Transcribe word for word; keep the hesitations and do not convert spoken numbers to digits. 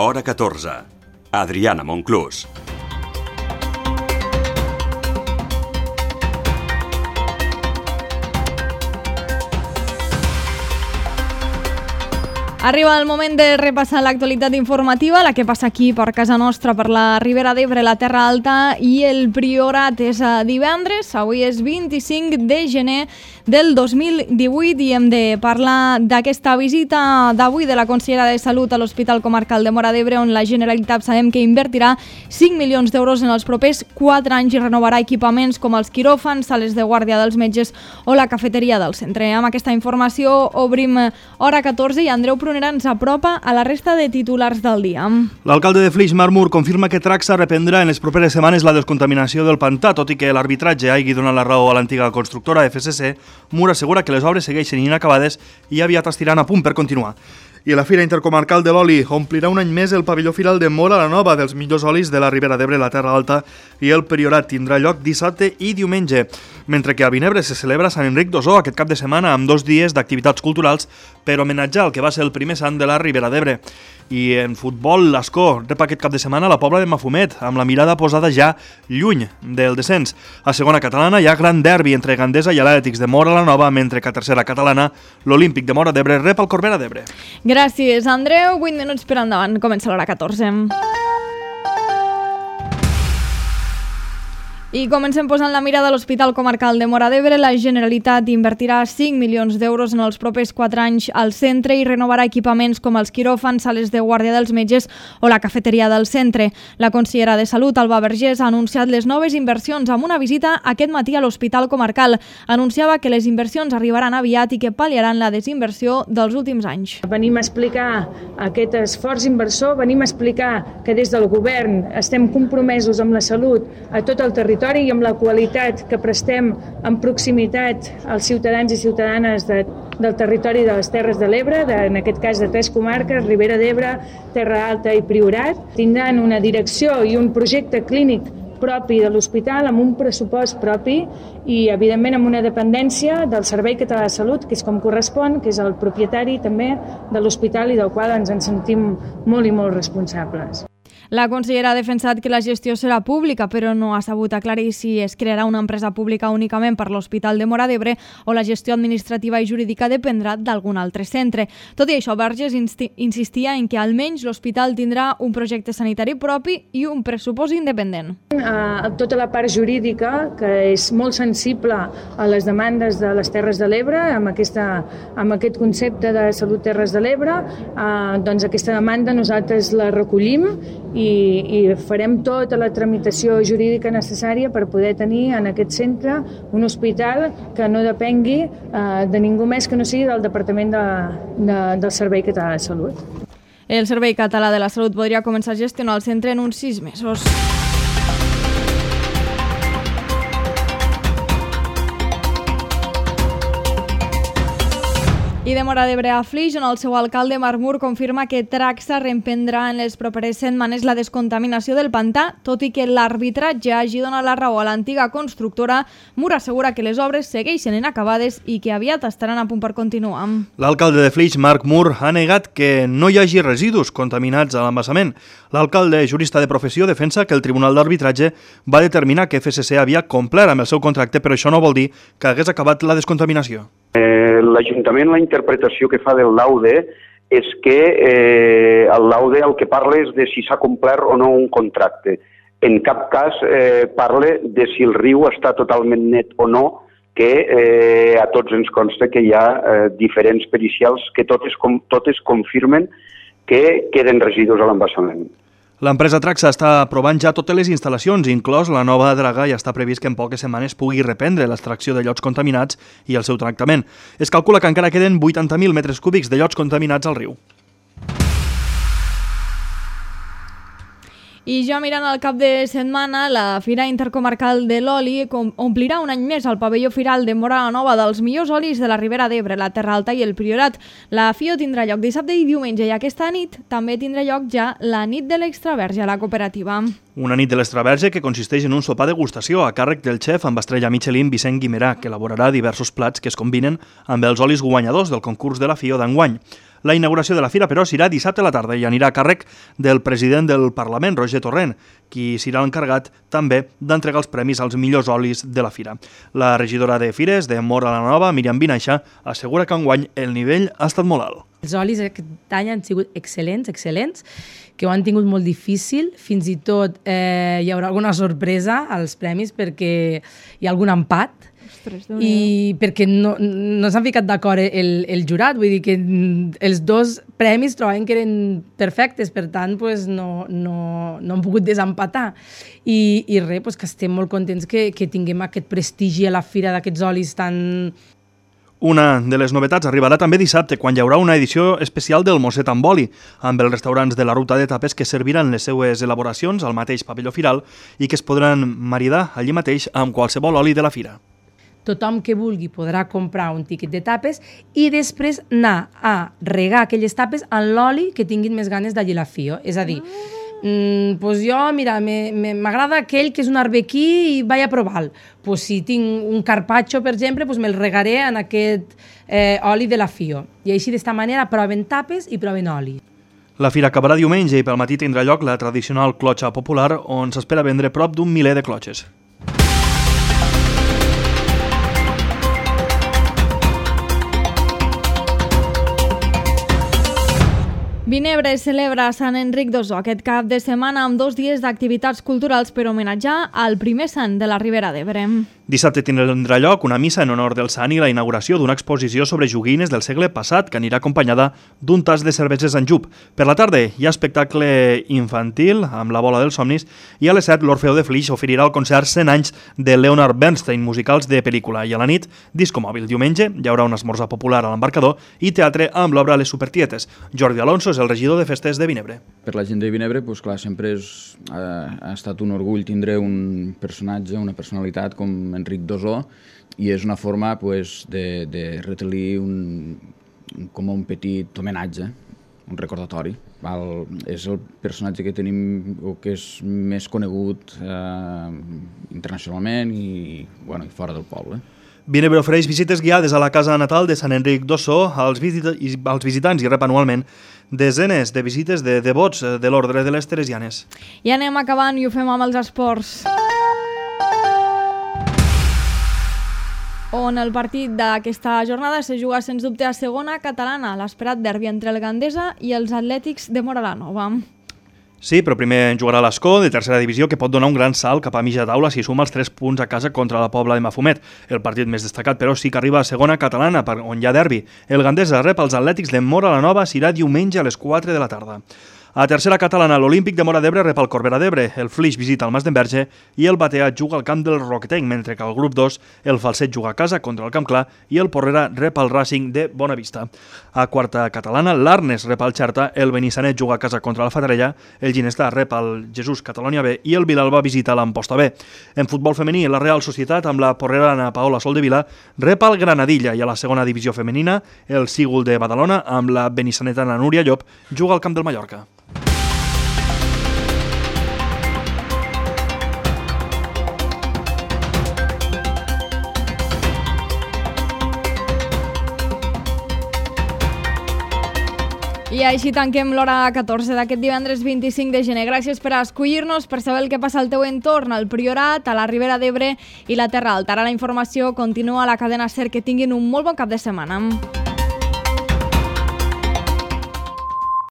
Hora catorze. Adriana Monclús. Arriba el moment de repassar l'actualitat informativa, la que passa aquí per casa nostra, per la Ribera d'Ebre, la Terra Alta i el Priorat. És a divendres, avui és vint-i-cinc de gener del dos mil divuit i hem de parlar d'aquesta visita d'avui de la consellera de Salut a l'Hospital Comarcal de Móra d'Ebre, on la Generalitat sabem que invertirà cinc milions d'euros en els propers quatre anys i renovarà equipaments com els quiròfans, sales de guàrdia dels metges o la cafeteria del centre. Amb aquesta informació obrim Hora catorze i Andreu Prunera ens apropa a la resta de titulars del dia. L'alcalde de Flix, Marc Mur, confirma que Tracsa reprendrà en les properes setmanes la descontaminació del pantà, tot i que l'arbitratge hagi donat la raó a l'antiga constructora F C C. Mur assegura que les obres segueixen inacabades i aviat estiran a punt per continuar. I la Fira Intercomarcal de l'Oli omplirà un any més el pavelló firal de Móra la Nova dels millors olis de la Ribera d'Ebre, la Terra Alta i el Priorat. Tindrà lloc dissabte i diumenge, mentre que a Vinebre se celebra Sant Enric d'Osó aquest cap de setmana amb dos dies d'activitats culturals per homenatjar el que va ser el primer sant de la Ribera d'Ebre. I en futbol, l'Escó rep aquest cap de setmana la Pobla de Mafumet, amb la mirada posada ja lluny del descens. A segona catalana hi ha gran derbi entre Gandesa i l'Atlètics de Móra la Nova, mentre que a tercera catalana l'Olímpic de Móra d'Ebre rep el Corbera d'Ebre. Gràcies, Andreu. vuit minuts per endavant. Comença l'hora catorze. I comencem posant la mirada a l'Hospital Comarcal de Móra d'Ebre. La Generalitat invertirà cinc milions d'euros en els propers quatre anys al centre i renovarà equipaments com els quiròfans, sales de guàrdia dels metges o la cafeteria del centre. La consellera de Salut, Alba Vergés, ha anunciat les noves inversions amb una visita aquest matí a l'Hospital Comarcal. Anunciava que les inversions arribaran aviat i que pal·liaran la desinversió dels últims anys. Venim a explicar aquest esforç inversor, venim a explicar que des del govern estem compromesos amb la salut a tot el territori i amb la qualitat que prestem en proximitat als ciutadans i ciutadanes de, del territori de les Terres de l'Ebre, de, en aquest cas de tres comarques, Ribera d'Ebre, Terra Alta i Priorat. Tindran una direcció i un projecte clínic propi de l'hospital, amb un pressupost propi i, evidentment, amb una dependència del Servei Català de Salut, que és com correspon, que és el propietari també de l'hospital i del qual ens en sentim molt i molt responsables. La consellera ha defensat que la gestió serà pública, però no ha sabut aclarir si es crearà una empresa pública únicament per l'Hospital de Móra d'Ebre o la gestió administrativa i jurídica dependrà d'algun altre centre. Tot i això, Vergés insistia en que almenys l'hospital tindrà un projecte sanitari propi i un pressupost independent. Uh, tota la part jurídica, que és molt sensible a les demandes de les Terres de l'Ebre, amb, aquesta, amb aquest concepte de Salut Terres de l'Ebre, uh, doncs aquesta demanda nosaltres la recollim i, i farem tota la tramitació jurídica necessària per poder tenir en aquest centre un hospital que no depengui eh, de ningú més que no sigui del Departament de, de, del Servei Català de Salut. El Servei Català de la Salut podria començar a gestionar el centre en uns sis mesos. I de Móra d'Ebre a Flix, on el seu alcalde Marc Mur confirma que Tracsa reemprendrà en les properes setmanes la descontaminació del pantà, tot i que l'arbitratge hagi donat la raó a l'antiga constructora. Mur assegura que les obres segueixen inacabades i que aviat estaran a punt per continuar. L'alcalde de Flix, Marc Mur, ha negat que no hi hagi residus contaminats a l'embassament. L'alcalde, jurista de professió, defensa que el Tribunal d'Arbitratge va determinar que F C C havia complert amb el seu contracte, però això no vol dir que hagués acabat la descontaminació. Eh, L'Ajuntament, la interpretació que fa del laude és que eh, el laude el que parla és de si s'ha complert o no un contracte. En cap cas eh, parla de si el riu està totalment net o no, que eh, a tots ens consta que hi ha eh, diferents pericials que totes, com, totes confirmen que queden residus a l'embassament. L'empresa Tracsa està aprovant ja totes les instal·lacions, inclòs la nova draga, i està previst que en poques setmanes pugui reprendre l'extracció de llots contaminats i el seu tractament. Es calcula que encara queden vuitanta mil metres cúbics de llots contaminats al riu. I ja mirant al cap de setmana, la Fira Intercomarcal de l'Oli omplirà un any més el pavelló firal de Móra la Nova dels millors olis de la Ribera d'Ebre, la Terra Alta i el Priorat. La F I O tindrà lloc dissabte i diumenge i aquesta nit també tindrà lloc ja la nit de l'extraverge a la cooperativa. Una nit de l'extraverge que consisteix en un sopar degustació a càrrec del xef amb estrella Michelin Vicent Guimerà, que elaborarà diversos plats que es combinen amb els olis guanyadors del concurs de la F I O d'enguany. La inauguració de la fira, però, serà dissabte a la tarda i anirà a càrrec del president del Parlament, Roger Torrent, qui serà l'encarregat també d'entregar els premis als millors olis de la fira. La regidora de Fires de Móra la Nova, Míriam Vinaixa, assegura que enguany el nivell ha estat molt alt. Els olis aquest any han sigut excel·lents, excel·lents, que ho han tingut molt difícil, fins i tot eh, hi haurà alguna sorpresa als premis perquè hi ha algun empat, Ostres, i perquè no, no s'han ficat d'acord el, el jurat, vull dir que els dos premis trobaven que eren perfectes, per tant pues, no, no, no han pogut desempatar. I, i res, pues, que estem molt contents que, que tinguem aquest prestigi a la fira d'aquests olis tan... Una de les novetats arribarà també dissabte, quan hi haurà una edició especial del Mosset amb oli, amb els restaurants de la ruta de tapes que serviran les seues elaboracions al mateix pavelló firal i que es podran maridar allí mateix amb qualsevol oli de la fira. Tothom que vulgui podrà comprar un tíquet de tapes i després anar a regar aquelles tapes en l'oli que tinguin més ganes d'allí la fio. És a dir, mm, pues jo, mira, m'agrada aquell que és un arbequí i vaig a provar-lo. Pues si tinc un carpaccio, per exemple, pues me'l regaré en aquest eh, oli de la fio. I així, d'esta manera, proven tapes i proven oli. La fira acabarà diumenge i pel matí tindrà lloc la tradicional clotxa popular, on s'espera vendre prop d'un miler de clotxes. Vinebre celebra Sant Enric d'Ossó aquest cap de setmana amb dos dies d'activitats culturals per homenatjar al primer sant de la Ribera d'Ebre. Dissabte tindrà lloc una missa en honor del sant i la inauguració d'una exposició sobre joguines del segle passat que anirà acompanyada d'un tas de cerveses en jup. Per la tarda hi ha espectacle infantil amb la bola dels somnis i a les set l'Orfeó de Flix oferirà el concert cent anys de Leonard Bernstein, musicals de pel·lícula, i a la nit disco mòbil. Diumenge hi haurà un esmorzar popular a l'embarcador i teatre amb l'obra Les Supertietes. Jordi Alonso és el regidor de festes de Vinebre. Per la gent de Vinebre, pues, clar, sempre és, ha, ha estat un orgull tindre un personatge, una personalitat com Enric d'Ossó, i és una forma pues, de, de retelir un, com un petit homenatge, un recordatori. Val? És el personatge que tenim o que és més conegut eh, internacionalment i, bueno, i fora del poble. Vinebre ofereix visites guiades a la casa natal de Sant Enric d'Ossó als, visita als visitants i rep anualment desenes de visites de devots de l'ordre de les Teresianes. I anem acabant i ho fem amb els esports. On el partit d'aquesta jornada se juga sens dubte a segona catalana, l'esperat derbi entre el Gandesa i els Atlètics de Móra la Nova. Sí, però primer jugarà l'Escó, de tercera divisió, que pot donar un gran salt cap a mitja taula si suma els tres punts a casa contra la Pobla de Mafumet. El partit més destacat, però, sí que arriba a segona catalana, on hi ha derbi. El Gandesa rep els Atlètics de Móra la Nova, serà diumenge a les quatre de la tarda. A tercera catalana, l'Olímpic de Móra d'Ebre rep el Corbera d'Ebre, el Flix visita el Mas d'Enverge i el Bateat juga al camp del Roquetenc, mentre que al grup dos el Falset juga a casa contra el Camp Clar i el Porrera rep el Racing de Bonavista. A quarta catalana, l'Arnes rep el Xerta, el Benissanet juga a casa contra la Fatarella, el Ginestà rep el Jesús Catalunya B i el Vilalba visita l'Amposta B. En futbol femení, la Real Societat amb la porrerana Paola Soldevila rep el Granadilla i a la segona divisió femenina el Sígul de Badalona amb la benissanetana Núria Llop juga al camp del Mallorca. I així tanquem l'hora catorze d'aquest divendres vint-i-cinc de gener. Gràcies per escollir-nos, per saber el que passa al teu entorn, al Priorat, a la Ribera d'Ebre i la Terra Alta. Ara la informació continua a la cadena SER. Que tinguin un molt bon cap de setmana.